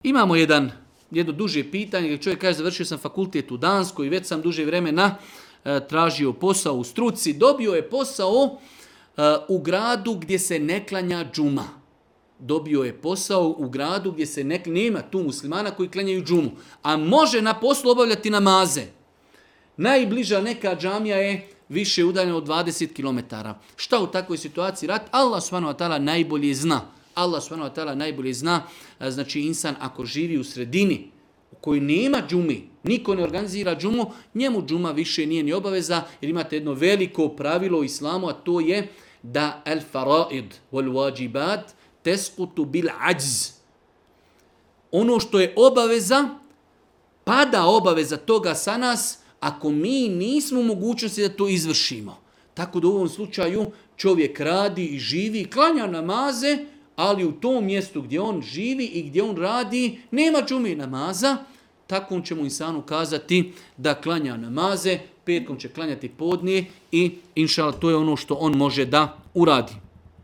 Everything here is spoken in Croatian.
Imamo jedno duže pitanje, gdje čovjek kaže završio sam fakultet u Danskoj i već sam duže vremena tražio posao u struci. Dobio je posao u gradu gdje se ne klanja džuma. Dobio je posao u gradu gdje se nema tu muslimana koji klanjaju džumu. A može na poslu obavljati namaze. Najbliža neka džamija je više udaljena od 20 km. Šta u takvoj situaciji raditi? Allah subhanahu wa ta'ala najbolje zna. Allah subhanahu wa ta'ala najbolje zna. Znači insan ako živi u sredini u kojoj nema džumi, niko ne organizira džumu, njemu džuma više nije ni obaveza, jer imate jedno veliko pravilo u islamu, a to je da al faraid wal wajibat tesqutu bil ajz. Ono što je obaveza, pada obaveza toga sa nas ako mi nismo u mogućnosti da to izvršimo. Tako da u ovom slučaju čovjek radi i živi, klanja namaze, ali u tom mjestu gdje on živi i gdje on radi nema džume i namaza, takvom će mu insanu kazati da klanja namaze, petkom će klanjati podne i inšallah to je ono što on može da uradi.